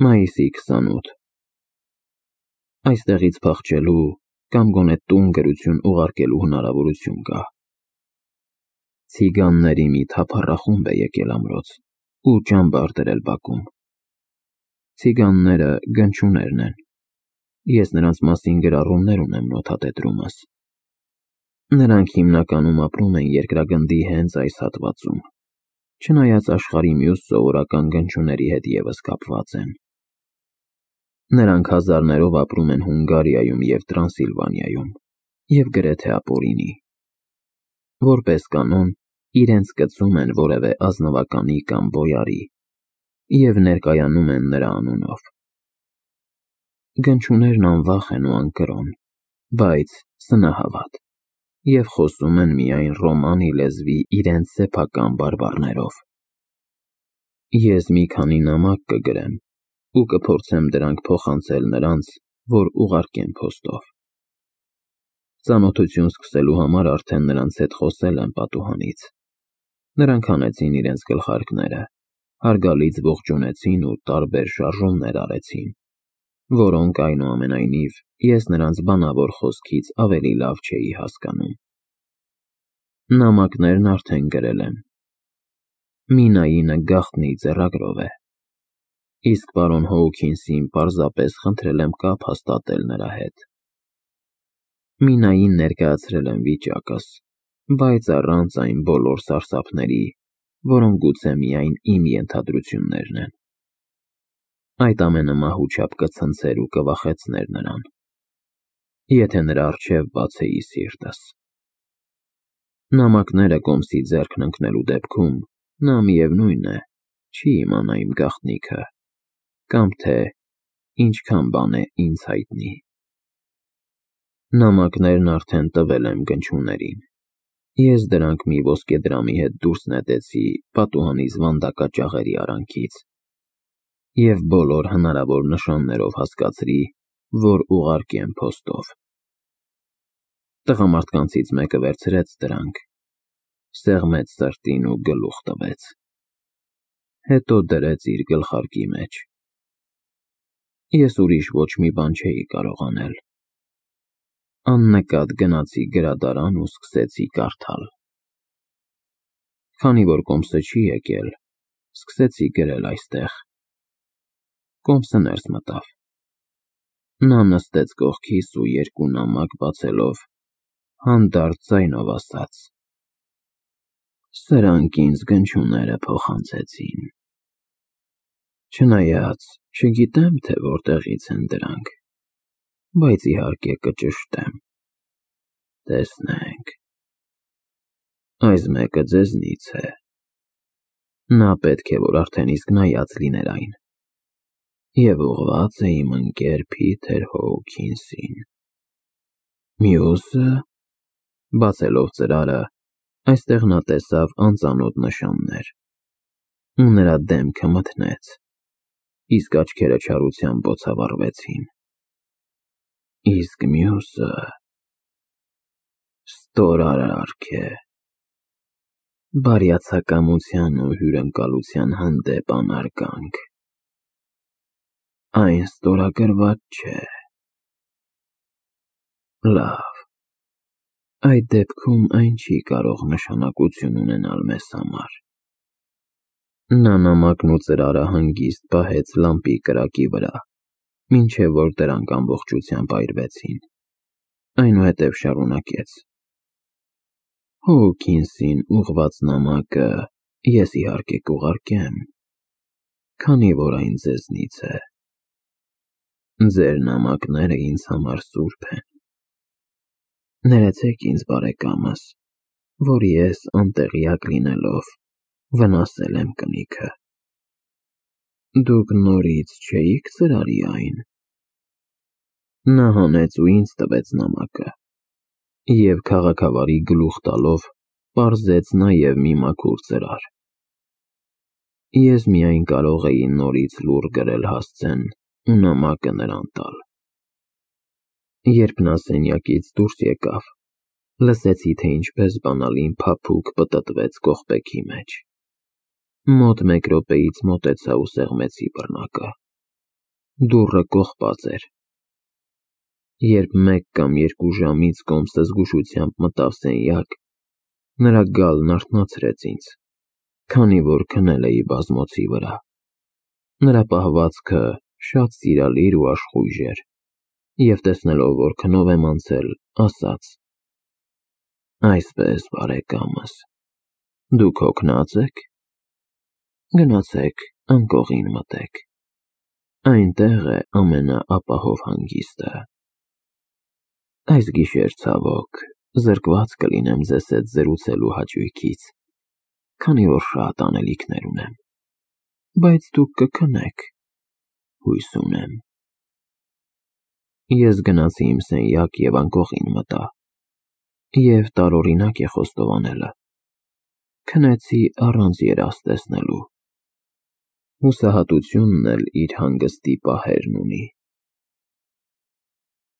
Մայիսի 28 Այստեղից փախչելու կամ գոնե տուն գրություն ուղարկելու հնարավորություն կա։ Ցիգանների մի թափառախումբ է եկել ամրոց ու ճամբար դրել բակում։ Ցիգանները գնչուներն են։ Ես նրանց մասին գրառումներ ունեմ նոթատետրումս։ Նրանք հիմնականում ապրում են երկրագնդի հենց այս հատվածում, չնայած աշխարհի մյուս սովորական գնչուների հետ ևս կապված են։ Նրանք հազարներով ապրում են Հունգարիայում և Տրանսիլվանիայում և գրեթե ապօրինի։ Որպես կանոն, իրենց կծում են որևէ ազնվականի կամ բոյարի և ներկայանում են նրա անունով։ Գնչուներն անվախ են ու անկրոն, բայց սնահավատ և խոսում են միայն ռոմանի լեզվի իրենց սեփական բարբառներով։ Ես մի քանի նամակ կգրեմ ու կփորձեմ դրանք փոխանցել նրանց, որ ուղարկեն փոստով։ Ծանոթություն սկսելու համար արդեն նրանց հետ խոսել եմ պատուհանից։ Նրանք հանեցին իրենց գլխարկները, հարգալից ողջունեցին ու տարբեր շարժումներ արեցին, որոնք, այնուամենայնիվ, ես նրանց բանավոր խոսքից ավելի լավ չէի հասկանում։ Նամակներն արդեն գրել եմ։ Մինայինը գաղտնի ձեռագրով է, իսկ պարոն Հոուքինսին պարզապես խնդրել եմ կապ հաստատել նրա հետ։ Մինային ներկայացրել եմ վիճակս, բայց առանց այն բոլոր սարսափների, որոնք գուցե միայն իմ ենթադրություններն են։ Այդ ամենը մահու չափ կցնցեր ու կվախեցներ նրան, եթե նրա առջև բացեի սիրտս։ Նամակները կոմսի ձեռքն ընկնելու դեպքում նա միևնույն է, չի իմանա իմ գաղտնիքը, կամ թե ինչքան բան է ինձ հայտնի։ Նամակներն արդեն տվել եմ գնչուներին։ Ես դրանք մի ոսկեդրամի հետ դուրս նետեցի պատուհանիս վանդակաճաղերի արանքից և բոլոր հնարավոր նշաններով հասկացրի, որ ուղարկեմ փոստով։ Տղամարդկանցից մեկը վերցրեց դրանք, սեղմեց սրտին ու գլուխ տվեց, հետո դրեց իր գլխարկի մեջ։ Ես ուրիշ ոչ մի բան չէի կարող անել։ Աննկատ գնացի գրադարան ու սկսեցի կարդալ։ Քանի որ կոմսը չի եկել, սկսեցի գրել այստեղ։ Կոմսը ներս մտավ։ Նա նստեց կողքիս ու երկու նամակ բացելով, հանդարտ ձայնով ասաց. «Սրանք ինձ գնչուները փոխանցեցին։ Չնայած չգիտեմ, թե որտեղից են դրանք, բայց իհարկե կճշտեմ։ Տեսնենք։ Այս մեկը ձեզնից է։ Նա պետք է, որ արդեն իսկ նայած լիներ այն, և ուղղված է իմ ընկեր Փիթեր Հոուքինսին։ Մյուսը», բացելով ծրարը, այստեղ նա տեսավ անծանոթ նշաններ, ու նրա դեմքը մթնեց, իսկ աչքերը չարությամբ բոցավառվեցին։ Իսկ մյուսը ստորարարք է։ Բարյացակամության ու հյուրընկալության հանդեպ անարգանք։ Այն ստորագրված չէ։ Լավ, այդ դեպքում այն չի կարող նշանակություն ունենալ մեզ համար։ Նա նամակն ու ծրարը հանգիստ պահեց լամպի կրակի վրա, մինչև որ դրանք ամբողջությամբ այրվեցին, այնուհետև շարունակեց. Հոուքինսին ուղղված նամակը ես իհարկե կուղարկեմ, քանի որ այն ձեզնից է։ Ձեր նամակները ինձ համար սուրբ են։ Ներեցեք ինձ, բարեկամս, որ ես անտեղյակ լինելով վնասել եմ կնիքը։ Դուք նորից չէի՞ք ծրարի այն։ Նա հանեց ու ինձ տվեց նամակը և քաղաքավարի գլուխ տալով պարզեց նաև մի մաքուր ծրար։ Ես միայն կարող էի նորից լուռ գրել հասցեն ու նամակը նրան տալ։ Երբ նա սենյակից դուրս եկավ, լսեցի, թե ինչպես բանալին փափուկ պտտվեց կողպեքի մեջ։ Մոտ մեկ րոպեից մոտեցա ու սեղմեցի բռնակը։ Դուռը կողպած էր։ Երբ 1 կամ 2 ժամից կոմսը զգուշությամբ մտավ սենյակ, նրա գալն արթնացրեց ինձ, քանի որ քնել էի բազմոցի վրա։ Նրա պահվածքը շատ սիրալիր ու աշխույժ էր, և տեսնելով, որ քնով եմ անցել, ասաց. «Այսպես, բարեկամս, դուք հոգնած եք։ Գնացեք անկողին մտեք, այնտեղ է ամենաապահով հանգիստը։ Այս գիշեր, ցավոք, զրկված կլինեմ ձեզ հետ զրուցելու հաճույքից, քանի որ շատ անելիքներ ունեմ, բայց դուք կքնեք, հույս ունեմ»։ Ես գնացի իմ սենյակ և անկողին մտա, և տարօրինակ է խոստովանելը, քնեցի առանց երազ տեսնելու։ Հուսահատությունն էլ իր հանգստի պահերն ունի։